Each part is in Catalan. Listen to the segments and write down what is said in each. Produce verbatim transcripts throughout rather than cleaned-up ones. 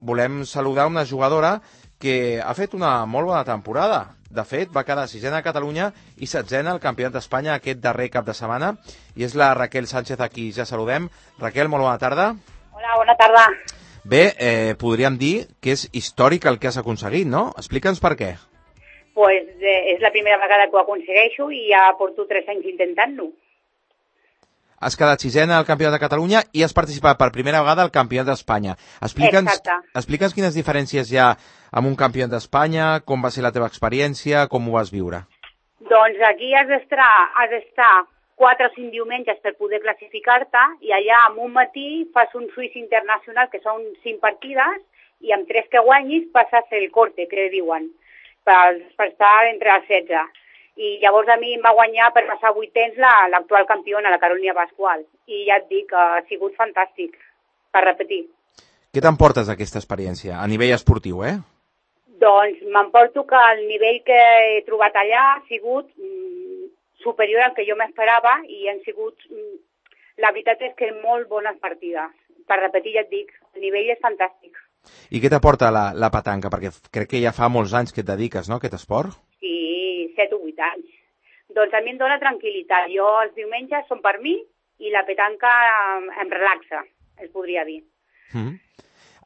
volem saludar una jugadora que ha fet una molt bona temporada. De fet, va quedar sisena a Catalunya i setzena al Campionat d'Espanya aquest darrer cap de setmana. I és la Raquel Sánchez, a qui ja saludem. Raquel, molt bona tarda. Hola, bona tarda. Bé, eh, podríem dir que és històric el que has aconseguit, no? Explica'ns per què. Pues eh, és la primera vegada que ho aconsegueixo i ja porto tres anys intentant-ho. Has quedat sisena al Campionat de Catalunya i has participat per primera vegada al Campionat d'Espanya. Explica'ns, explica'ns quines diferències hi ha amb un Campionat d'Espanya, com va ser la teva experiència, com ho vas viure. Doncs aquí has d'estar has d'estar quatre o cinc diumenges per poder classificar-te i allà en un matí fas un Swiss internacional, que són cinc partides, i amb tres que guanyis passes el corte, que diuen, per, per estar entre els setze. I llavors a mi em va guanyar per passar vuitens l'actual la, campiona, la Carolina Pascual. I ja et dic que ha sigut fantàstic, per repetir. Què t'emportes d'aquesta experiència, a nivell esportiu, eh? Doncs m'emporto que el nivell que he trobat allà ha sigut mm, superior al que jo m'esperava i han sigut... Mm, la veritat és que molt bones partides. Per repetir, ja et dic, el nivell és fantàstic. I què t'aporta la, la petanca? Perquè crec que ja fa molts anys que et dediques, no?, a aquest esport. Sí, set o vuit anys. Doncs a mi em dóna tranquil·litat. Jo els diumenges són per mi i la petanca em relaxa, es podria dir. Mm.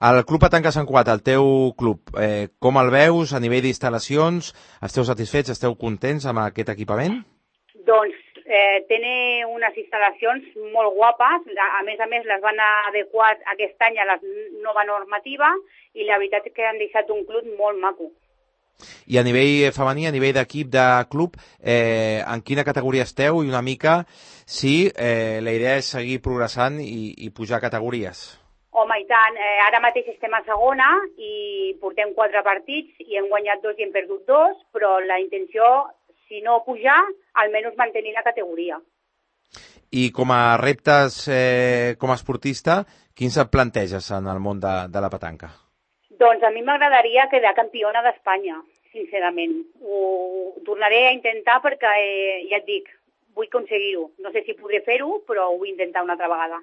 El Club Petanca Sant Cugat, el teu club, eh, com el veus a nivell d'instal·lacions? Esteu satisfets, esteu contents amb aquest equipament? Doncs eh, té unes instal·lacions molt guapes. A més a més les van adequar aquest any a la nova normativa i la veritat és que han deixat un club molt maco. I a nivell femení, a nivell d'equip, de club, eh, en quina categoria esteu i una mica si eh, la idea és seguir progressant i, i pujar categories? Home, i tant. Eh, ara mateix estem a segona i portem quatre partits i hem guanyat dos i hem perdut dos, però la intenció, si no pujar, almenys mantenir la categoria. I com a reptes eh, com a esportista, quins et planteges en el món de, de la petanca? Doncs a mi m'agradaria quedar campiona d'Espanya, sincerament. Ho tornaré a intentar perquè, eh, ja et dic, vull aconseguir-ho. No sé si podré fer-ho, però ho vull intentar una altra vegada.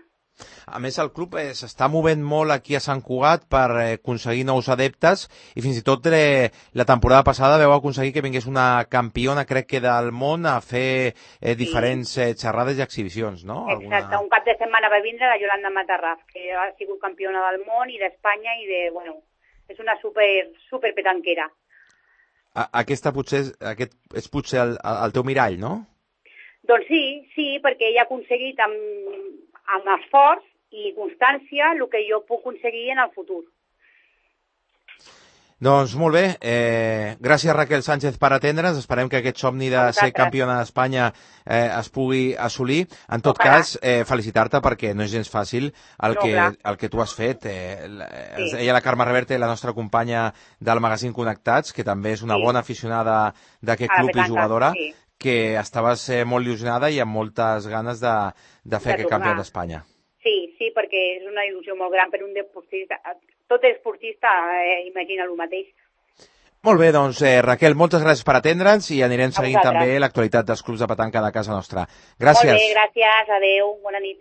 A més, el club eh, s'està movent molt aquí a Sant Cugat per eh, aconseguir nous adeptes i fins i tot eh, la temporada passada veu aconseguir que vingués una campiona, crec que del món, a fer eh, diferents eh, xerrades i exhibicions, no? Exacte, Alguna... un cap de setmana va vindre la Yolanda Matarraf, que ha sigut campiona del món i d'Espanya i de, bueno, és una super, super petanquera. A, aquesta potser, aquest és potser el, el teu mirall, no? Doncs sí, sí, perquè ella ha aconseguit amb, amb esforç i constància el que jo puc aconseguir en el futur. Doncs molt bé, eh, gràcies Raquel Sánchez per atendre'ns, esperem que aquest somni de ser campiona d'Espanya eh, es pugui assolir. En tot Ojalà. cas, eh, felicitar-te perquè no és gens fàcil el, no, que, el que tu has fet. Eh, sí. Ella, la Carme Reverte, la nostra companya del magazín Connectats, que també és una sí. bona aficionada d'aquest club i jugadora, sí. que estaves eh, molt il·lusionada i amb moltes ganes de, de fer de aquest campionat d'Espanya. Sí, sí, perquè és una il·lusió molt gran per un deportista. Tot esportista eh, imagina el mateix. Molt bé, doncs, eh, Raquel, moltes gràcies per atendre'ns i anirem seguint també l'actualitat dels clubs de petanca de casa nostra. Gràcies. Molt bé, gràcies, adeu, bona nit.